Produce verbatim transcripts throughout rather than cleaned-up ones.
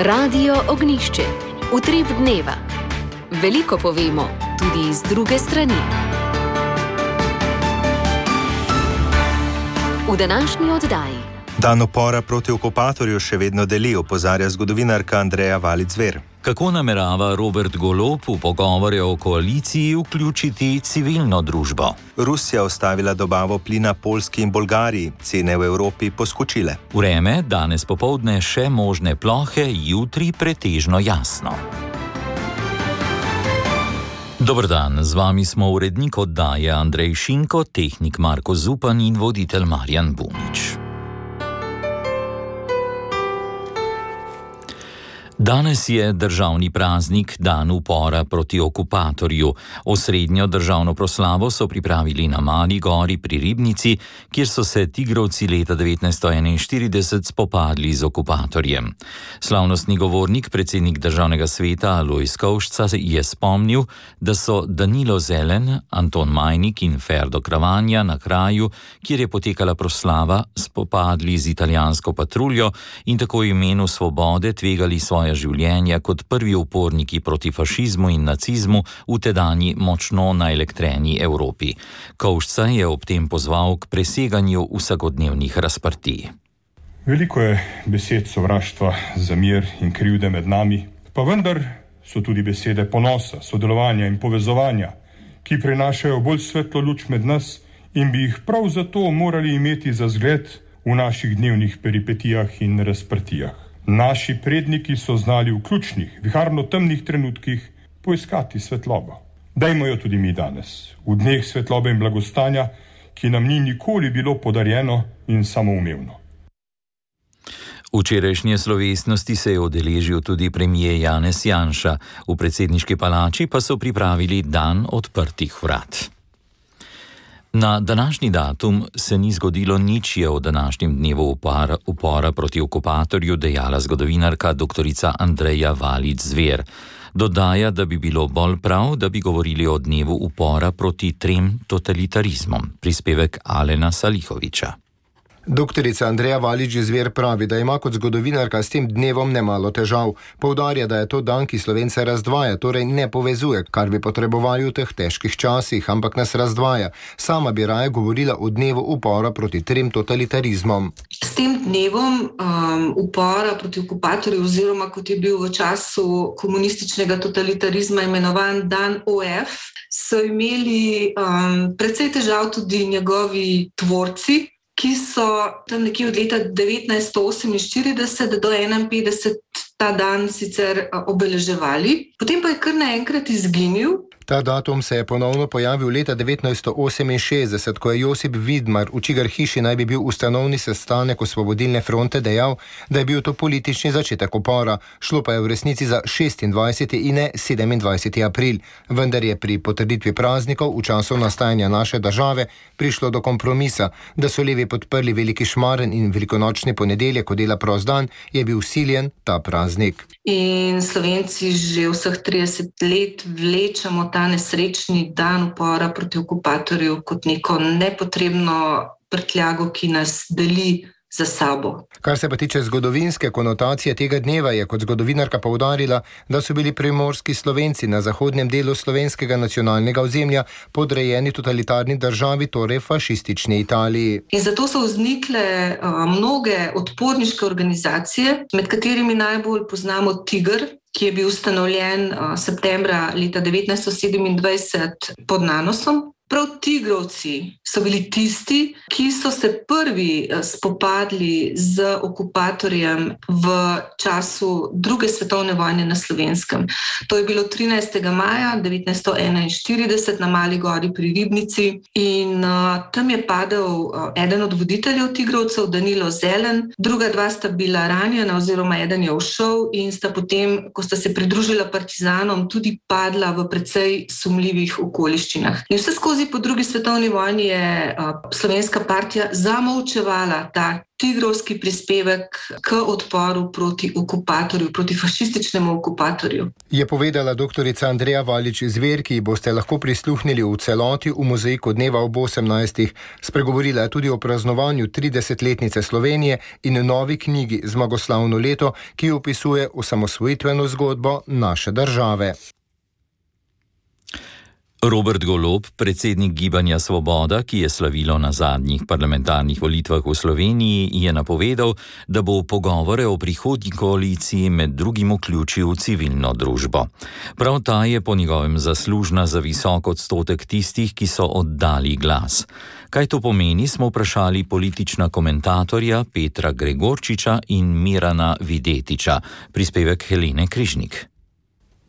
Radio Ognjišče. Utrip dneva. Veliko povemo, tudi iz druge strani. V današnji oddaji. Dan upora proti okupatorju še vedno deli, opozarja zgodovinarka Andreja Valič-Zver. Kako namerava Robert Golob v pogovore o koaliciji vključiti civilno družbo? Rusija ustavila dobavo plina Poljski in Bolgariji, cene v Evropi poskočile. Vreme, danes popoldne še možne plohe, jutri pretežno jasno. Dober dan, z vami smo urednik oddaje Andrej Šinko, tehnik Marko Zupan in voditelj Marjan Bunič. Danes je državni praznik, dan upora proti okupatorju. Osrednjo državno proslavo so pripravili na Mali gori pri Ribnici, kjer so se tigrovci leta devetnajststo enainštirideset spopadli z okupatorjem. Slavnostni govornik, predsednik državnega sveta Alojz Kovšca, je spomnil, da so Danilo Zelen, Anton Majnik in Ferdo Kravanja na kraju, kjer je potekala proslava, spopadli z italijansko patruljo in tako v imenu svobode tvegali svoje življenja kot prvi uporniki proti fašizmu in nacizmu v tedanji močno naelektreni Evropi. Kovšca je ob tem pozval k preseganju vsakodnevnih razprtij. Veliko je besed sovraštva, zamir in krivde med nami, pa vendar so tudi besede ponosa, sodelovanja in povezovanja, ki prinašajo bolj svetlo luč med nas in bi jih prav zato morali imeti za zgled v naših dnevnih peripetijah in razprtijah. Naši predniki so znali v ključnih, viharno temnih trenutkih poiskati svetlobo. Dajmo jo tudi mi danes, v dneh svetlobe in blagostanja, ki nam ni nikoli bilo podarjeno in samoumevno. Včerajšnje slovesnosti se je udeležil tudi premier Janez Janša, v predsedniški palači pa so pripravili dan odprtih vrat. Na današnji datum se ni zgodilo nič, je o današnjem dnevu upora, upora proti okupatorju dejala zgodovinarka doktorica Andreja Valič-Zver. Dodaja, da bi bilo bolj prav, da bi govorili o dnevu upora proti trem totalitarizmom. Prispevek Alena Salihoviča. Doktorica Andreja Valič-Zver pravi, da ima kot zgodovinarka s tem dnevom nemalo težav. Poudarja, da je to dan, ki Slovence razdvaja, torej ne povezuje, kar bi potrebovali v teh težkih časih, ampak nas razdvaja. Sama bi raje govorila o dnevu upora proti trem totalitarizmom. S tem dnevom um, upora proti okupatorju, oziroma kot je bil v času komunističnega totalitarizma imenovan dan O F, so imeli um, precej težav tudi njegovi tvorci, ki so tam nekje od leta devetnajststo oseminštirideset do enainpetdeset ta dan sicer obeleževali, potem pa je kar naenkrat izginil. Ta datum se je ponovno pojavil leta devetnajststo oseminšestdeset, ko je Josip Vidmar, v čigar hiši naj bi bil ustanovni sestanek Osvobodilne fronte, dejal, da je bil to politični začetek upora. Šlo pa je v resnici za šestindvajseti in ne sedemindvajseti april. Vendar je pri potrditvi praznikov v času nastajanja naše države prišlo do kompromisa, da so levi podprli veliki šmaren in velikonočni ponedeljek, ko dela prost dan, je bil siljen ta praznik. In Slovenci že vseh trideset let vlečemo ta nesrečni dan upora proti okupatorju kot neko nepotrebno prtljago, ki nas deli za sabo. Kar se pa tiče zgodovinske konotacije tega dneva, je kot zgodovinarka poudarila, da so bili primorski Slovenci na zahodnem delu slovenskega nacionalnega ozemlja podrejeni totalitarni državi, torej fašistični Italiji. In zato so vznikle uh, mnoge odporniške organizacije, med katerimi najbolj poznamo Tiger, ki je bil ustanovljen uh, septembra leta devetnajststo sedemindvajset pod Nanosom. Prav tigrovci so bili tisti, ki so se prvi spopadli z okupatorjem v času druge svetovne vojne na Slovenskem. To je bilo trinajstega maja devetnajststo enainštirideset na Mali gori pri Ribnici in uh, tam je padel uh, eden od voditeljev tigrovcev, Danilo Zelen, druga dva sta bila ranjena oziroma eden je ušel in sta potem, ko sta se pridružila partizanom, tudi padla v precej sumljivih okoliščinah. In vse skozi skozi po drugi svetovni vojni je Slovenska partija zamolčevala ta tigrovski prispevek k odporu proti okupatorju, proti fašističnemu okupatorju. Je povedala doktorica Andreja Valič Zver, ki boste lahko prisluhnili v celoti v mozaiku dneva ob osemnajstih. Spregovorila je tudi o praznovanju tridesetletnice Slovenije in novi knjigi Zmagoslavno leto, ki opisuje osamosvojitveno zgodbo naše države. Robert Golob, predsednik Gibanja Svoboda, ki je slavilo na zadnjih parlamentarnih volitvah v Sloveniji, je napovedal, da bo pogovore o prihodnji koaliciji med drugim vključil civilno družbo. Prav ta je po njegovem zaslužna za visok odstotek tistih, ki so oddali glas. Kaj to pomeni, smo vprašali politična komentatorja Petra Gregorčiča in Mirana Videtiča. Prispevek Helene Križnik.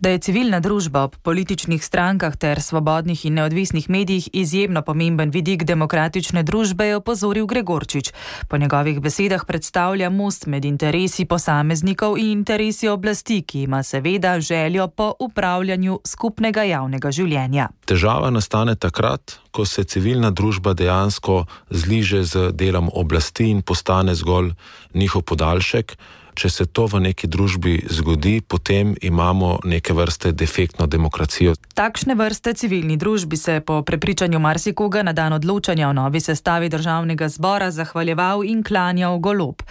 Da je civilna družba ob političnih strankah ter svobodnih in neodvisnih medijih izjemno pomemben vidik demokratične družbe, je opozoril Gregorčič. Po njegovih besedah predstavlja most med interesi posameznikov in interesi oblasti, ki ima seveda željo po upravljanju skupnega javnega življenja. Težava nastane takrat, ko se civilna družba dejansko zliže z delom oblasti in postane zgolj njihov podaljšek. Če se to v neki družbi zgodi, potem imamo neke vrste defektno demokracijo. Takšne vrste civilni družbi se po prepričanju marsikoga na dan odločanja o novi sestavi državnega zbora zahvaljeval in klanjal Golob.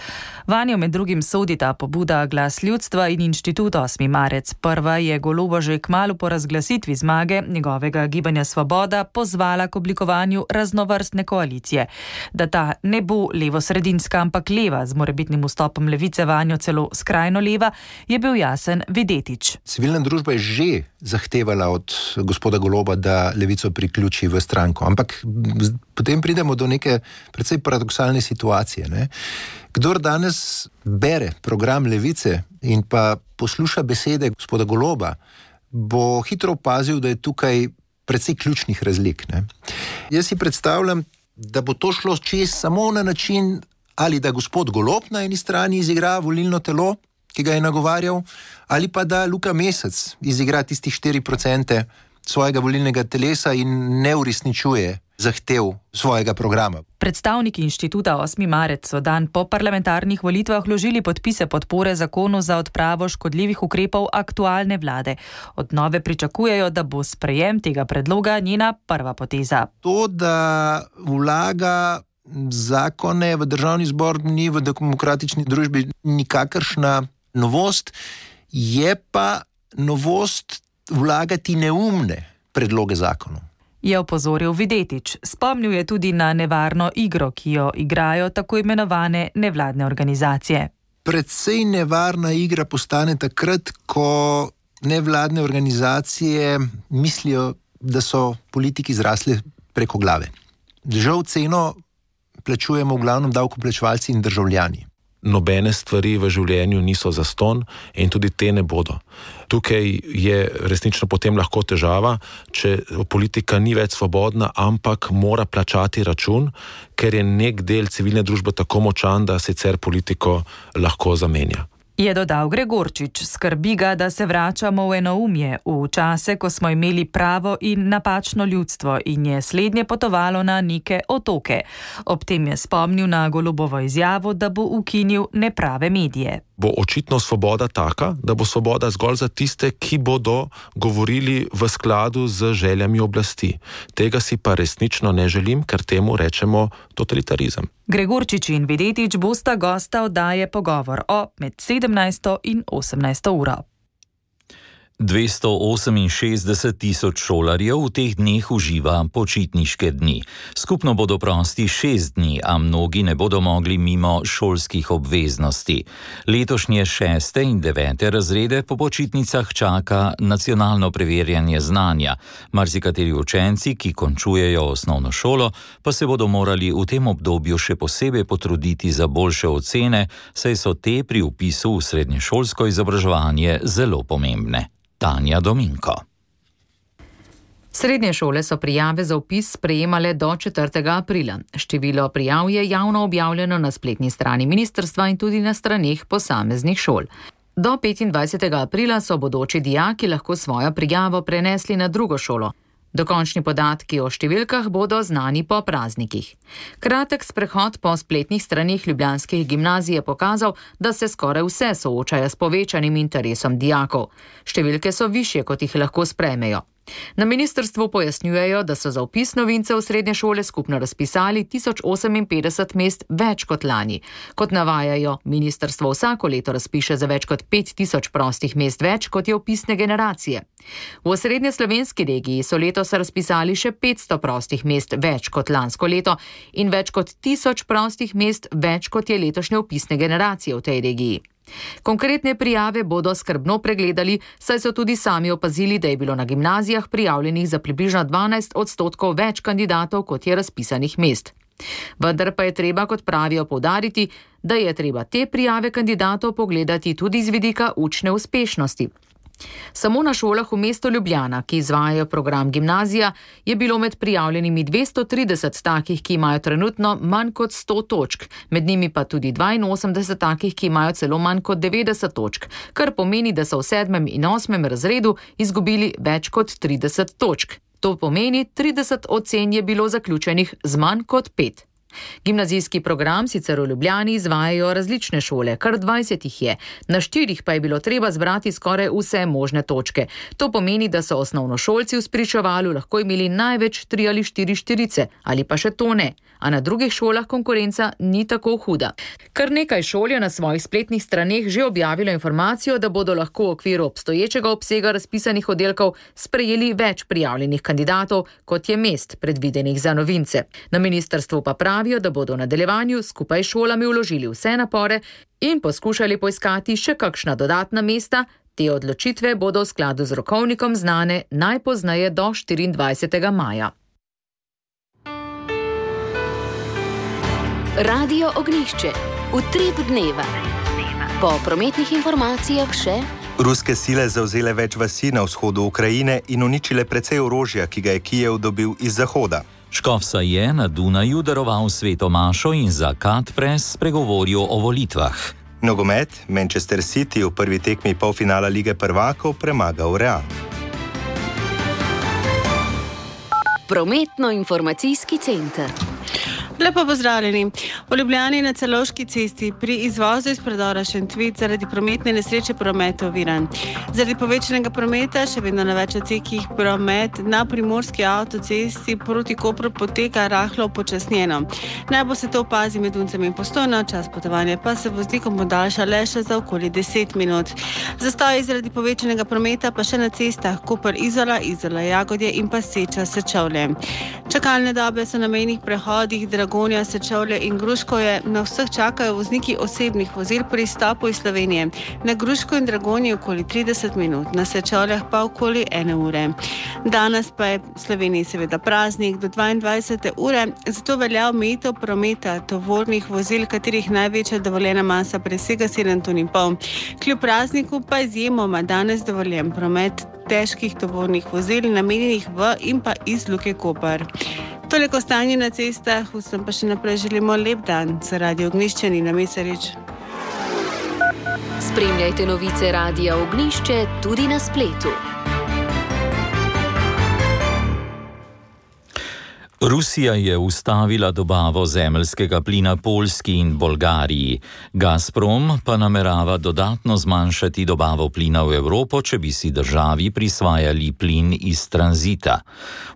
Vanjo med drugim sodita pobuda Glas ljudstva in Inštitut osmi marec. Prva je Goloba že kmalu po razglasitvi zmage njegovega Gibanja Svoboda pozvala k oblikovanju raznovrstne koalicije. Da ta ne bo levo-sredinska, ampak leva, z morebitnim vstopom levice vanjo celo skrajno leva, je bil jasen Videtič. Civilna družba je že zahtevala od gospoda Goloba, da levico priključi v stranko, ampak potem pridemo do neke precej paradoksalne situacije. Ne? Kdor danes bere program levice in pa posluša besede gospoda Goloba, bo hitro opazil, da je tukaj precej ključnih razlik. Ne? Jaz si predstavljam, da bo to šlo čez samo na način, ali da gospod Golob na eni strani izigra volilno telo, ki ga je nagovarjal, ali pa da Luka Mesec izigra tistih štiri procente svojega volilnega telesa in ne uresničuje zahtev svojega programa. Predstavniki Inštituta osmi marec so dan po parlamentarnih volitvah vložili podpise podpore zakonu za odpravo škodljivih ukrepov aktualne vlade. Od nove pričakujejo, da bo sprejem tega predloga njena prva poteza. To, da vlaga zakone v državni zbor, ni v demokratični družbi nikakršna novost, je pa novost vlagati neumne predloge zakonov. Je opozoril Videtič. Spomnil je tudi na nevarno igro, ki jo igrajo tako imenovane nevladne organizacije. Predvsej nevarna igra postane takrat, ko nevladne organizacije mislijo, da so politiki zrasli preko glave. Žal ceno plačujemo v glavnem davkoplačevalci in državljani. Nobene stvari v življenju niso zastonj in tudi te ne bodo. Tukaj je resnično potem lahko težava, če politika ni več svobodna, ampak mora plačati račun, ker je nek del civilne družbe tako močan, da sicer politiko lahko zamenja. Je dodal Gregorčič. Skrbi ga, da se vračamo v enoumje, v čase, ko smo imeli pravo in napačno ljudstvo in je slednje potovalo na neke otoke. Ob tem je spomnil na Golobovo izjavo, da bo ukinil neprave medije. Bo očitno svoboda taka, da bo svoboda zgolj za tiste, ki bodo govorili v skladu z željami oblasti. Tega si pa resnično ne želim, ker temu rečemo totalitarizem. Gregorčič in Videtič bosta gosta oddaje Pogovor o med sedemnajsto in osemnajsto uro. dvesto oseminšestdeset tisoč šolarjev v teh dneh uživa počitniške dni. Skupno bodo prosti šest dni, a mnogi ne bodo mogli mimo šolskih obveznosti. Letošnje šeste in devete razrede po počitnicah čaka nacionalno preverjanje znanja. Marsikateri učenci, ki končujejo osnovno šolo, pa se bodo morali v tem obdobju še posebej potruditi za boljše ocene, saj so te pri vpisu v srednješolsko izobraževanje zelo pomembne. Tanja Dominko. Srednje šole so prijave za vpis sprejemale do četrtega aprila. Število prijav je javno objavljeno na spletni strani ministrstva in tudi na straneh posameznih šol. Do petindvajsetega aprila so bodoči dijaki lahko svojo prijavo prenesli na drugo šolo. Dokončni podatki o številkah bodo znani po praznikih. Kratek sprehod po spletnih straneh ljubljanskih gimnazij je pokazal, da se skoraj vse soočajo s povečanim interesom dijakov. Številke so višje, kot jih lahko sprejmejo. Na ministrstvu pojasnjujejo, da so za vpis novincev v srednje šole skupno razpisali tisoč oseminpetdeset mest več kot lani. Kot navajajo, ministrstvo vsako leto razpiše za več kot pet tisoč prostih mest več, kot je vpisne generacije. V osrednje slovenski regiji so letos razpisali še petsto prostih mest več kot lansko leto in več kot tisoč prostih mest več, kot je letošnje vpisne generacije v tej regiji. Konkretne prijave bodo skrbno pregledali, saj so tudi sami opazili, da je bilo na gimnazijah prijavljenih za približno dvanajst odstotkov več kandidatov, kot je razpisanih mest. Vendar pa je treba, kot pravijo, poudariti, da je treba te prijave kandidatov pogledati tudi z vidika učne uspešnosti. Samo na šolah v mestu Ljubljana, ki izvajajo program gimnazija, je bilo med prijavljenimi dvesto trideset takih, ki imajo trenutno manj kot sto točk, med njimi pa tudi dvainosemdeset takih, ki imajo celo manj kot devetdeset točk, kar pomeni, da so v sedmem in osmem razredu izgubili več kot trideset točk. To pomeni, trideset ocen je bilo zaključenih z manj kot pet. Gimnazijski program sicer v Ljubljani izvajajo različne šole, kar dvajset jih je, na štirih pa je bilo treba zbrati skoraj vse možne točke. To pomeni, da so osnovnošolci v spričevalu lahko imeli največ tri ali štiri štirice, ali pa še to ne, a na drugih šolah konkurenca ni tako huda. Kar nekaj šol je na svojih spletnih straneh že objavilo informacijo, da bodo lahko v okviru obstoječega obsega razpisanih oddelkov sprejeli več prijavljenih kandidatov, kot je mest predvidenih za novince. Na ministrstvu pa pravi, da bodo v nadaljevanju skupaj s šolami vložili vse napore in poskušali poiskati še kakšna dodatna mesta. Te odločitve bodo v skladu z rokovnikom znane najpozneje do štiriindvajsetega maja. Radio Ognjišče. Utrip dneva. Po prometnih informacijah še... Ruske sile zavzele več vasi na vzhodu Ukrajine in uničile precej orožja, ki ga je Kijev dobil iz zahoda. Škofsa je na Dunaju daroval sveto mašo in za Katpres spregovoril o volitvah. Nogomet, Manchester City v prvi tekmi polfinala Lige prvakov premagal Real. Prometno-informacijski center. Lepo pozdravljeni. V Ljubljani na Celovški cesti pri izvozu iz predora Šentvid zaradi prometne nesreče promet oviran. Zaradi povečanega prometa še vedno na več odsekih promet na primorski avtocesti proti Kopru poteka rahlo počasnjeno. Najbolj se to opazi med Uncem in Postojno, čas potovanja pa se voznikom podaljša le še za okoli deset minut. Zastoji zaradi povečanega prometa pa še na cestah Koper-Izola, Izola-Jagodje in pa Seča-Sečovlje. Čakalne dobe so na mejnih prehodih Dragonja, Sečovlje in Gruškovje. Na vseh čakajo vozniki osebnih vozil pri izstopu iz Slovenije. Na Gruško in Dragonji okoli trideset minut, na Sečovljah pa okoli ene ure. Danes pa je v Sloveniji seveda praznik do dvaindvajsete ure, zato velja omejitev prometa tovornih vozil, katerih največja dovoljena masa presega sedem ton in pol. Kljub prazniku pa izjemoma danes dovoljen promet težkih tovornih vozil namenjenih v in pa iz Luke Koper. Toliko stanje na cestah, vsem pa še naprej želimo lep dan. Za Radio Ognjišče Nina Mesarič. Spremljajte novice Radia Ognjišče tudi na spletu. Rusija je ustavila dobavo zemeljskega plina Poljski in Bolgariji. Gazprom pa namerava dodatno zmanjšati dobavo plina v Evropo, če bi si državi prisvajali plin iz tranzita.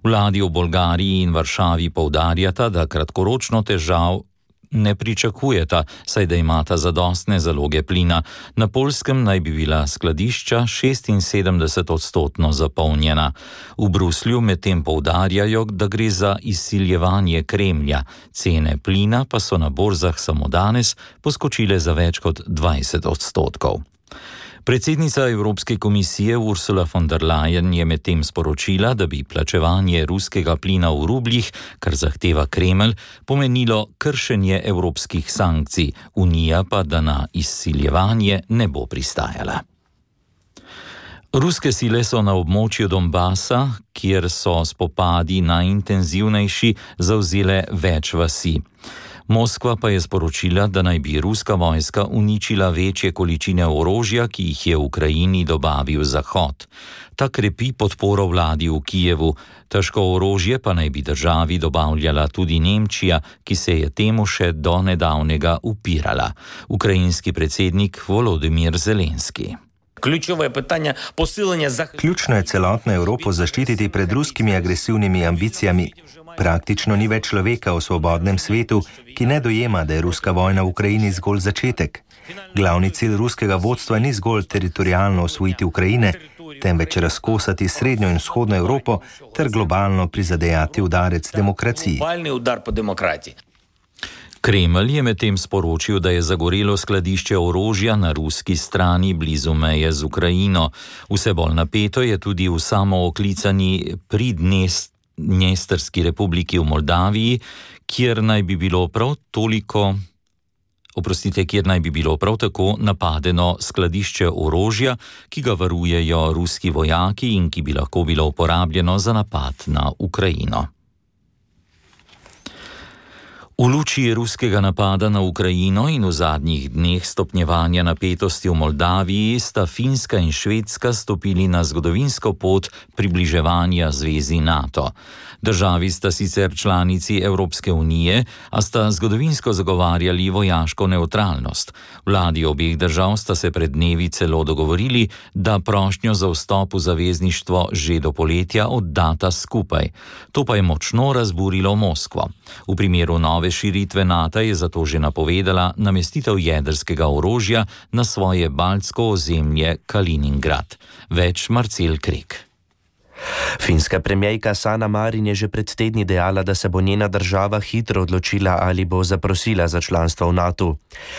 Vladi v Bolgariji in Varšavi poudarjata, da kratkoročno težav ne pričakujeta, saj da imata zadostne zaloge plina. Na Poljskem naj bi bila skladišča šestinsedemdeset odstotno zapolnjena. V Bruslju medtem poudarjajo, da gre za izsiljevanje Kremlja. Cene plina pa so na borzah samo danes poskočile za več kot dvajset odstotkov. Predsednica Evropske komisije Ursula von der Leyen je medtem sporočila, da bi plačevanje ruskega plina v rubljih, kar zahteva Kremelj, pomenilo kršenje evropskih sankcij, Unija pa da na izsiljevanje ne bo pristajala. Ruske sile so na območju Donbasa, kjer so spopadi najintenzivnejši, zavzele več vasi. Moskva pa je sporočila, da naj bi ruska vojska uničila večje količine orožja, ki jih je v Ukrajini dobavil Zahod. Ta krepi podporo vladi v Kijevu, težko orožje pa naj bi državi dobavljala tudi Nemčija, ki se je temu še do nedavnega upirala. Ukrajinski predsednik Volodymyr Zelenski. Ključno je celotno Evropo zaščititi pred ruskimi agresivnimi ambicijami. Praktično ni več človeka v svobodnem svetu, ki ne dojema, da je ruska vojna v Ukrajini zgolj začetek. Glavni cilj ruskega vodstva ni zgolj teritorialno osvojiti Ukrajine, temveč razkosati srednjo in vzhodno Evropo ter globalno prizadejati udarec demokraciji. Kremelj je medtem sporočil, da je zagorelo skladišče orožja na ruski strani blizu meje z Ukrajino. Vse bolj napeto je tudi v samooklicani Pridnestrski republiki v Moldaviji, kjer naj bi bilo prav toliko, oprostite, kjer naj bi bilo prav tako napadeno skladišče orožja, ki ga varujejo ruski vojaki in ki bi lahko bilo uporabljeno za napad na Ukrajino. V luči ruskega napada na Ukrajino in v zadnjih dneh stopnjevanja napetosti v Moldaviji sta Finska in Švedska stopili na zgodovinsko pot približevanja zvezi NATO. Državi sta sicer članici Evropske unije, a sta zgodovinsko zagovarjali vojaško nevtralnost. Vladi obeh držav sta se pred dnevi celo dogovorili, da prošnjo za vstop v zavezništvo že do poletja oddata skupaj. To pa je močno razburilo Moskvo. V primeru nove širitve NATO je zato že napovedala namestitev jedrskega orožja na svoje baltsko ozemlje Kaliningrad. Več Marcel Krek. Finska premierka Sanna Marin je že pred tedni dejala, da se bo njena država hitro odločila, ali bo zaprosila za članstvo v NATO.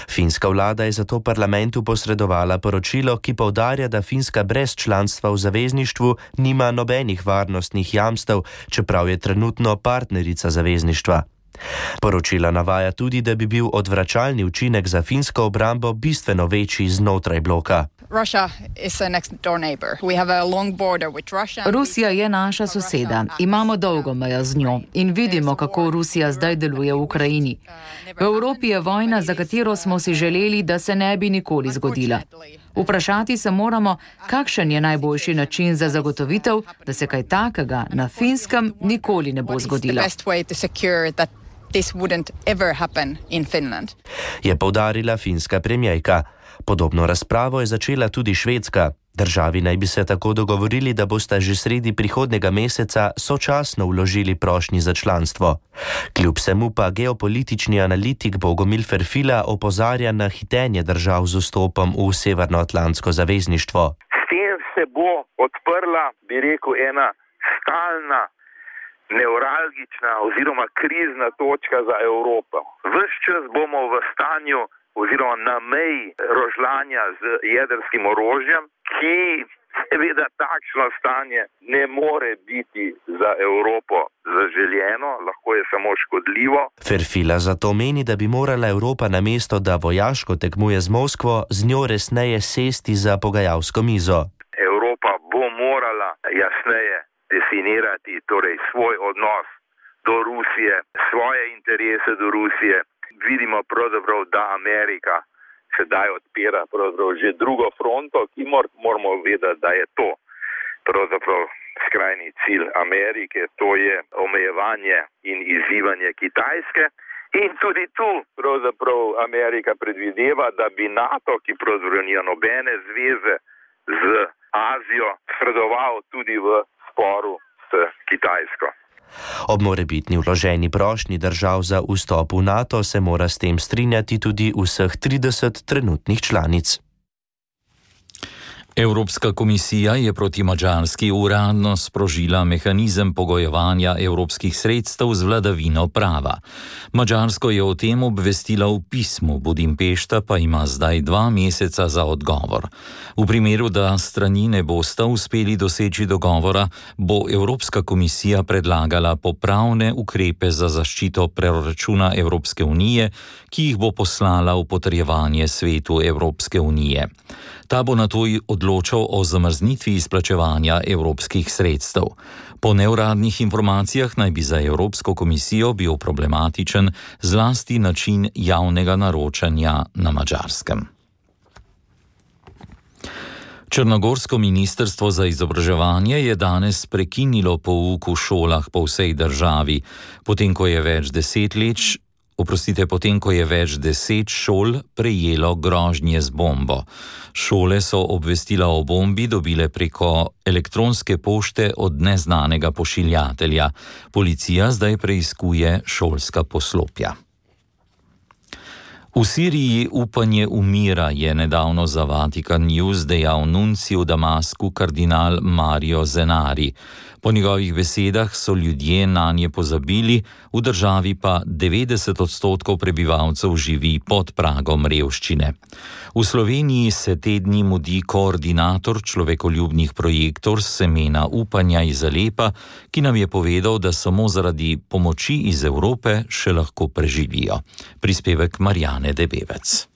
Finska vlada je zato parlamentu posredovala poročilo, ki poudarja, da Finska brez članstva v zavezništvu nima nobenih varnostnih jamstev, čeprav je trenutno partnerica zavezništva. Poročilo navaja tudi, da bi bil odvračalni učinek za finsko obrambo bistveno večji znotraj bloka. Rusija je naša soseda, imamo dolgo mejo z njo in vidimo, kako Rusija zdaj deluje v Ukrajini. V Evropi je vojna, za katero smo si želeli, da se ne bi nikoli zgodila. Vprašati se moramo, kakšen je najboljši način za zagotovitev, da se kaj takega na Finskem nikoli ne bo zgodilo. Je poudarila finska premierka. Podobno razpravo je začela tudi Švedska. Državi naj bi se tako dogovorili, da bosta že sredi prihodnega meseca sočasno vložili prošnji za članstvo. Kljub vsemu pa geopolitični analitik Bogomil Ferfila opozarja na hitenje držav z vstopom v Severnoatlantsko zavezništvo. S tem se bo odprla, bi rekel, ena stalna, nevralgična oziroma krizna točka za Evropo. Ves čas bomo v stanju oziroma na meji rožljanja z jedrskim orožjem, ki seveda takšno stanje ne more biti za Evropo zaželjeno, lahko je samo škodljivo. Ferfila zato meni, da bi morala Evropa namesto, da vojaško tekmuje z Moskvo, z njo resneje sesti za pogajalsko mizo. Evropa bo morala jasneje definirati torej svoj odnos do Rusije, svoje interese do Rusije. Vidimo pravzaprav, da Amerika sedaj odpira pravzaprav že drugo fronto, ki mor, moramo vedeti, da je to pravzaprav skrajni cilj Amerike, to je omejevanje in izzivanje Kitajske. In tudi tu pravzaprav Amerika predvideva, da bi NATO, ki pravzaprav nima nobene zveze z Azijo, sredoval tudi v sporu s Kitajsko. Ob morebitni vloženi prošnji držav za vstop v NATO se mora s tem strinjati tudi vseh trideset trenutnih članic. Evropska komisija je proti Madžarski uradno sprožila mehanizem pogojevanja evropskih sredstev z vladavino prava. Madžarsko je o tem obvestila v pismu, Budimpešta pa ima zdaj dva meseca za odgovor. V primeru, da strani ne bosta uspeli doseči dogovora, bo Evropska komisija predlagala popravne ukrepe za zaščito proračuna Evropske unije, ki jih bo poslala v potrjevanje svetu Evropske unije. Ta bo na to odločila odločal o zamrznitvi izplačevanja evropskih sredstev. Po neuradnih informacijah naj bi za Evropsko komisijo bil problematičen zlasti način javnega naročanja na Madžarskem. Črnogorsko ministrstvo za izobraževanje je danes prekinilo pouk v šolah po vsej državi, potem ko je več deset let, oprostite, potem ko je več deset šol prejelo grožnje z bombo. Šole so obvestila o bombi dobile preko elektronske pošte od neznanega pošiljatelja. Policija zdaj preiskuje šolska poslopja. V Siriji upanje umira, je nedavno za Vatikan News dejal nuncij v Damasku kardinal Mario Zenari. Po njegovih besedah so ljudje nanje pozabili, v državi pa devetdeset odstotkov prebivalcev živi pod pragom revščine. V Sloveniji se te dni mudi koordinator človekoljubnih projektov Semena upanja iz Alepa, ki nam je povedal, da samo zaradi pomoči iz Evrope še lahko preživijo. Prispevek Marjane Debevec.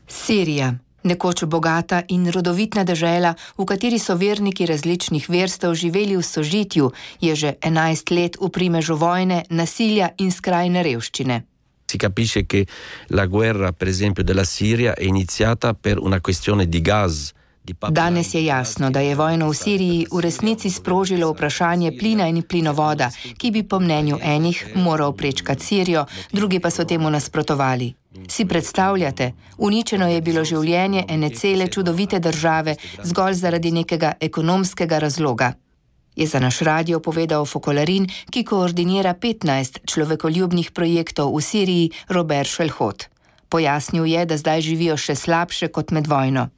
Sirija. Nekoč bogata in rodovitna dežela, v kateri so verniki različnih verstev živeli v sožitju, je že enajst let v primežu vojne, nasilja in skrajne revščine. Si capisce che la guerra, per esempio, della Siria è iniziata per una questione di gas. Danes je jasno, da je vojno v Siriji v resnici sprožilo vprašanje plina in plinovoda, ki bi po mnenju enih moral prečkati Sirijo, drugi pa so temu nasprotovali. Si predstavljate, uničeno je bilo življenje ene cele čudovite države zgolj zaradi nekega ekonomskega razloga. Je za naš radio povedal Fokolarin, ki koordinira petnajst človekoljubnih projektov v Siriji, Robert Šelhot. Pojasnil je, da zdaj živijo še slabše kot med vojno.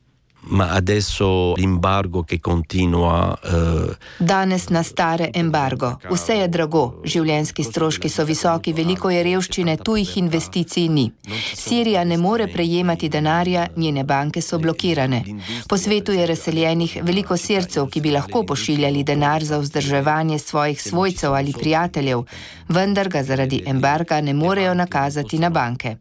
Ma adesso l'embargo che continua. Uh... Danes nastare embargo. Vse je drago, življenjski stroški so visoki, veliko je revščine, tujih investicij ni. Sirija ne more prejemati denarja, njene banke so blokirane. Po svetu je razseljenih veliko Sircev, ki bi lahko pošiljali denar za vzdrževanje svojih svojcev ali prijateljev, vendar ga zaradi embarga ne morejo nakazati na banke.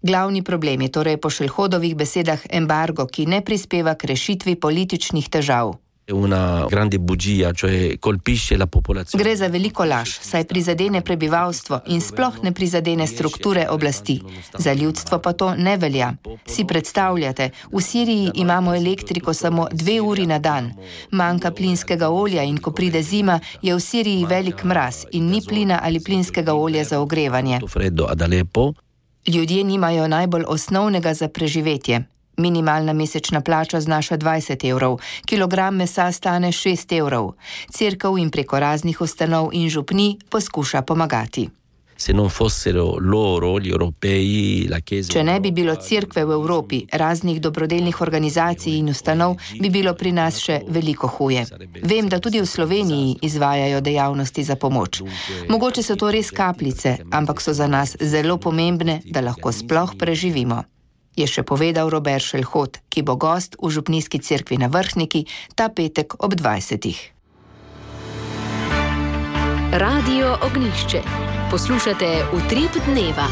Glavni problem je torej po Šelhodovih besedah embargo, ki ne prispeva k rešitvi političnih težav. Una grande bugia, cioè colpisce la popolazione. Gre za veliko laž, saj prizadene prebivalstvo in sploh ne prizadene strukture oblasti. Za ljudstvo pa to ne velja. Si predstavljate, v Siriji imamo elektriko samo dve uri na dan. Manjka plinskega olja in ko pride zima, je v Siriji velik mraz in ni plina ali plinskega olja za ogrevanje. Ljudje nimajo najbolj osnovnega za preživetje. Minimalna mesečna plača znaša dvajset evrov, kilogram mesa stane šest evrov. Cerkev in preko raznih ustanov in župni poskuša pomagati. Se non fossero loro, gli europei, la chiesa... Če ne bi bilo cerkve v Evropi, raznih dobrodelnih organizacij in ustanov, bi bilo pri nas še veliko huje. Vem, da tudi v Sloveniji izvajajo dejavnosti za pomoč. Mogoče so to res kapljice, ampak so za nas zelo pomembne, da lahko sploh preživimo. Je še povedal Robert Šelhot, ki bo gost v župnijski cerkvi na Vrhniki ta petek ob dvajsetih. Radio Ognjišče. Poslušate Utrip dneva.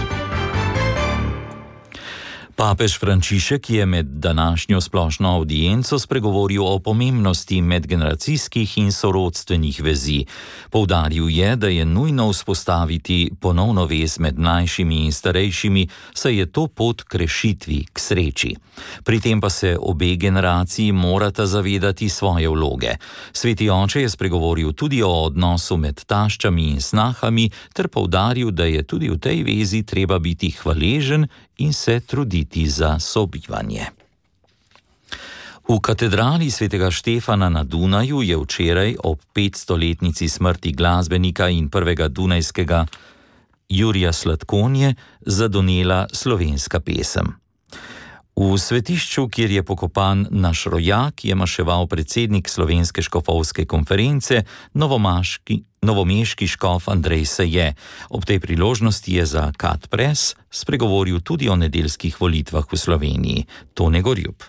Papež Frančišek je med današnjo splošno avdienco spregovoril o pomembnosti medgeneracijskih in sorodstvenih vezi. Poudaril je, da je nujno vzpostaviti ponovno vez med mlajšimi in starejšimi, saj je to pot k rešitvi, k sreči. Pri tem pa se obe generaciji morata zavedati svoje vloge. Sveti oče je spregovoril tudi o odnosu med taščami in snahami ter poudaril, da je tudi v tej vezi treba biti hvaležen in se truditi za sobivanje. V katedrali svetega Štefana na Dunaju je včeraj ob petstoletnici smrti glasbenika in prvega dunajskega Jurija Slatkonje zadonela slovenska pesem. V svetišču, kjer je pokopan naš rojak, je maševal predsednik Slovenske škofovske konference, novomaški, novomeški škof Andrej Seje. Ob tej priložnosti je za Kat Press spregovoril tudi o nedeljskih volitvah v Sloveniji. Tone Gorjub.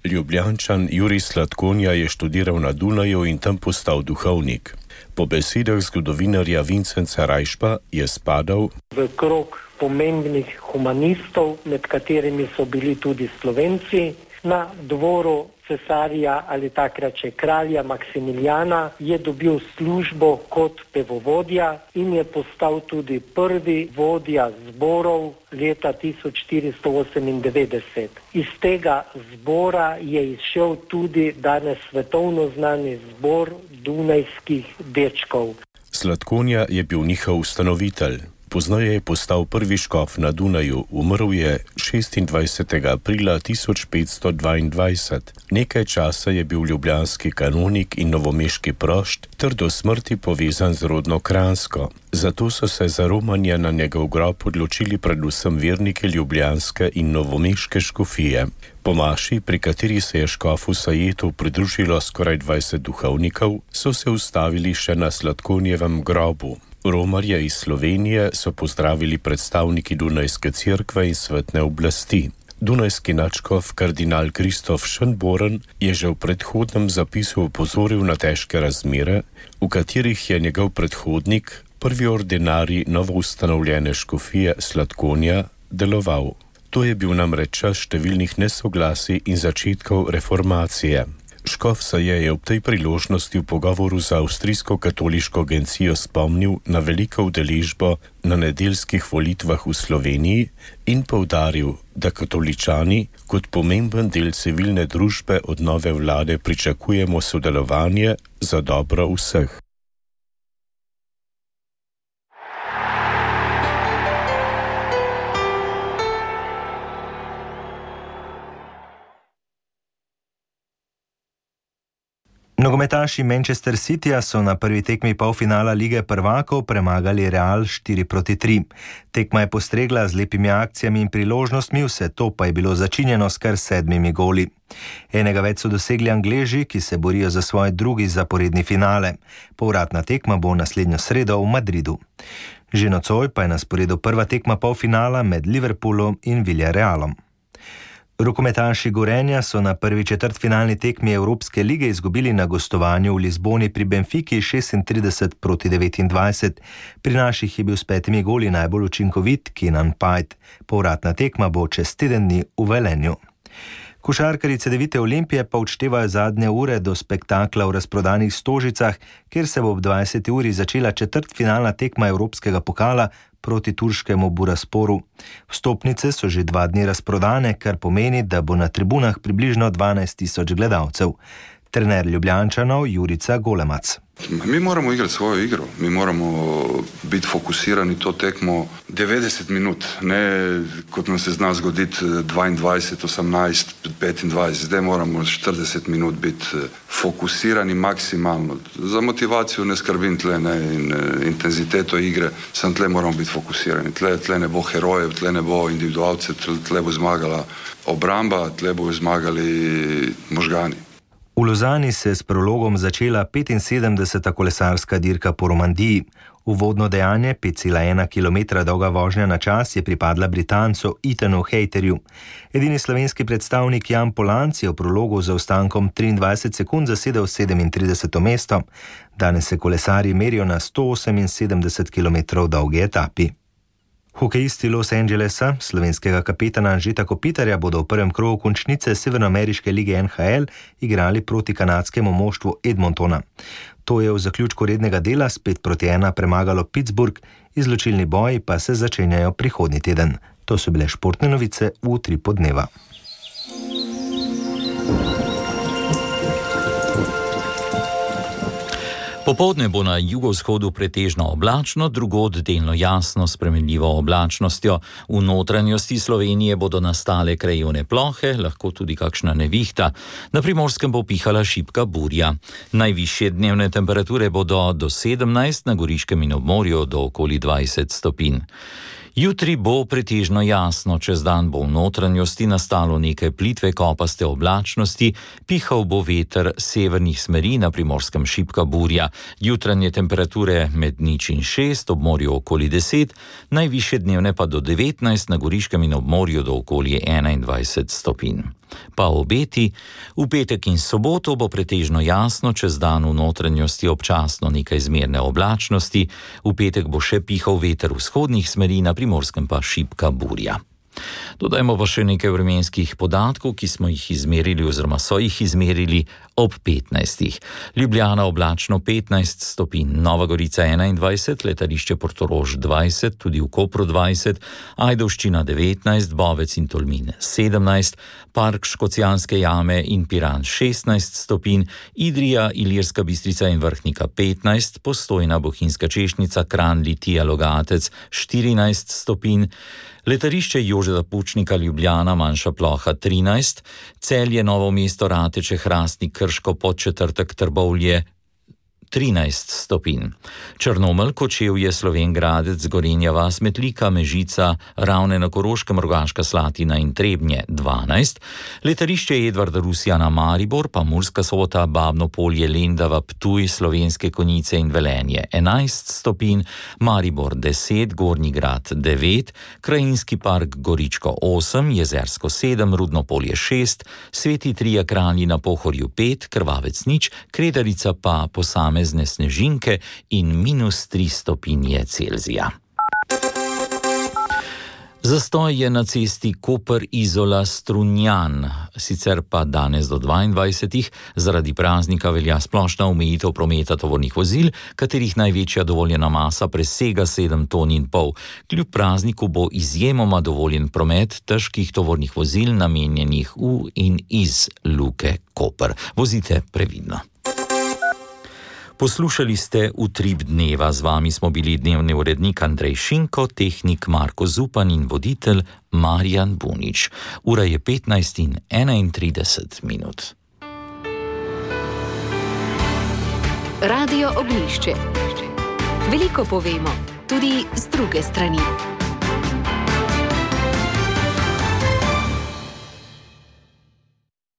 Ljubljančan Jurij Slatkonja je študiral na Dunaju in tam postal duhovnik. Po besedah zgodovinarja Vincenca Rajšpa je spadal v krog pomembnih humanistov, med katerimi so bili tudi Slovenci. Na dvoru cesarja ali takrat še kralja Maksimilijana, je dobil službo kot pevovodja in je postal tudi prvi vodja zborov leta tisoč štiristo osemindevetdeset. Iz tega zbora je izšel tudi danes svetovno znani zbor dunajskih dečkov. Sladkonja je bil njihov ustanovitelj. Pozneje je postal prvi škof na Dunaju, umrl je šestindvajsetega aprila tisoč petsto dvaindvajset. Nekaj časa je bil ljubljanski kanonik in novomeški prošt ter do smrti povezan z rodno Kranjsko. Zato so se za romanje na njegov grob odločili predvsem verniki ljubljanske in novomeške škofije. Po maši, pri kateri se je škofu Sajetu pridružilo skoraj dvajset duhovnikov, so se ustavili še na Sladkonjevem grobu. Romarje iz Slovenije so pozdravili predstavniki Dunajske cerkve in svetne oblasti. Dunajski nadškof kardinal Kristof Schönborn je že v predhodnem zapisu opozoril na težke razmere, v katerih je njegov predhodnik, prvi ordinarij novoustanovljene škofije Sladkonja, deloval. To je bil namreč čas številnih nesoglasij in začetkov reformacije. Škof Saje je ob tej priložnosti v pogovoru za avstrijsko katoliško agencijo spomnil na veliko udeležbo na nedeljskih volitvah v Sloveniji in poudaril, da katoličani kot pomemben del civilne družbe od nove vlade pričakujemo sodelovanje za dobro vseh. Nogometaši Manchester Cityja so na prvi tekmi polfinala Lige prvakov premagali Real štiri proti tri. Tekma je postregla z lepimi akcijami in priložnostmi, vse to pa je bilo začinjeno s kar sedmimi goli. Enega več so dosegli Angleži, ki se borijo za svoj drugi zaporedni finale. Povratna tekma bo naslednjo sredo v Madridu. Že nocoj pa je na sporedu prva tekma polfinala med Liverpoolom in Villarrealom. Rokometaši Gorenja so na prvi četrtfinalni tekmi Evropske lige izgubili na gostovanju v Lizboni pri Benfiki šestintrideset proti devetindvajset. Pri naših je bil s petimi goli najbolj učinkovit Kenan Pajt. Povratna tekma bo čez teden dni v Velenju. Košarkarji Cedevite Olimpije pa odštevajo zadnje ure do spektakla v razprodanih Stožicah, kjer se bo ob dvajseti uri začela četrtfinalna tekma Evropskega pokala proti turškemu Burasporu. Vstopnice so že dva dni razprodane, kar pomeni, da bo na tribunah približno dvanajst tisoč gledalcev. Trener Ljubljančanov Jurica Golemac. Mi moramo igrati svojo igro, mi moramo biti fokusirani to tekmo devetdeset minut, ne kot nam se zna zgoditi dvaindvajset, osemnajst, petindvajset, zdaj moramo štirideset minut biti fokusirani maksimalno. Za motivacijo ne skrbim tle, ne, in intenziteto igre, sem tle moramo biti fokusirani. Tle, tle ne bo herojev, tle ne bo individualcev, tle, tle bo zmagala obramba, tle bo zmagali možgani. V Lozani se je s prologom začela petinsedemdeseta kolesarska dirka po Romandiji. Uvodno dejanje, pet celih ena kilometra dolga vožnja na čas, je pripadla Britancu Ethanu Hayterju. Edini slovenski predstavnik Jan Polanc je v prologu z zaostankom triindvajset sekund zasedel sedemintrideseto mesto. Danes se kolesarji merijo na sto oseminsedemdeset kilometrov dolgi etapi. Hokejisti Los Angelesa, slovenskega kapetana Anžeta Kopitarja, bodo v prvem krogu končnice Severnoameriške lige N H L igrali proti kanadskemu moštvu Edmontona. To je v zaključku rednega dela spet proti ena premagalo Pittsburgh, izločilni boji pa se začenjajo prihodnji teden. To so bile športne novice v utripu dneva. Popoldne bo na jugovzhodu pretežno oblačno, drugod delno jasno s spremenljivo oblačnostjo. V notranjosti Slovenije bodo nastale krajevne plohe, lahko tudi kakšna nevihta. Na Primorskem bo pihala šibka burja. Najvišje dnevne temperature bodo do sedemnajst, na Goriškem in ob morju do okoli dvajset stopinj. Jutri bo pretežno jasno, čez dan bo v notranjosti nastalo nekaj plitve kopaste oblačnosti, pihal bo veter severnih smeri, na Primorskem šibka burja. Jutranje temperature med nič in šest, ob morju okoli deset, najvišje dnevne pa do devetnajst, na Goriškem in ob morju do okoli enaindvajset stopinj. Pa obeti, v petek in soboto bo pretežno jasno, čez dan v notranjosti občasno nekaj zmerne oblačnosti, v petek bo še pihal veter vzhodnih smeri, na Primorskem pa šibka burja. Dodajmo pa še nekaj vremenskih podatkov, ki smo jih izmerili oziroma so jih izmerili ob petnajstih. Ljubljana oblačno petnajst stopinj, Nova Gorica enaindvajset, letališče Portorož dvajset, tudi v Kopru dvajset, Ajdovščina devetnajst, Bovec in Tolmin sedemnajst, Park Škocjanske jame in Piran šestnajst stopinj, Idrija, Ilirska Bistrica in Vrhnika petnajst, Postojna, Bohinjska Češnica, Kranj, Litija, Logatec štirinajst stopinj, letališče Jožeta Pučnika Ljubljana, Manjša Ploha trinajst, Celje, Novo mesto, Rateče, Hrastnik, Krško, Podčetrtek, Trbovlje trinajst stopinj. Črnomelj, Kočevje, Slovenj Gradec, Gorenja vas, Metlika, Mežica, Ravne na Koroškem, Rogaška Slatina in Trebnje dvanajst, letališče Edvarda Rusjana Maribor, pa Murska Sobota, Babno Polje, Lendava, Ptuj, Slovenske Konjice in Velenje enajst stopinj, Maribor deset, Gornji Grad devet, Krajinski park Goričko osem, Jezersko sedem, Rudno Polje šest, Sveti Trija Kralji na Pohorju pet, Krvavec nič, Kredarica pa posame zne snežinke in minus tri stopinje Celzija. Zastoj je na cesti Koper-Izola-Strunjan, sicer pa danes do dvaindvajsetih zaradi praznika velja splošna omejitev prometa tovornih vozil, katerih največja dovoljena masa presega sedem ton in pol. Kljub prazniku bo izjemoma dovoljen promet težkih tovornih vozil namenjenih v in iz Luke Koper. Vozite previdno. Poslušali ste Utrip dneva, z vami smo bili dnevni urednik Andrej Šinko, tehnik Marko Zupan in voditelj Marjan Bunič. Ura je petnajst in enaintrideset minut. Radio Oglišče. Veliko povemo, tudi z druge strani.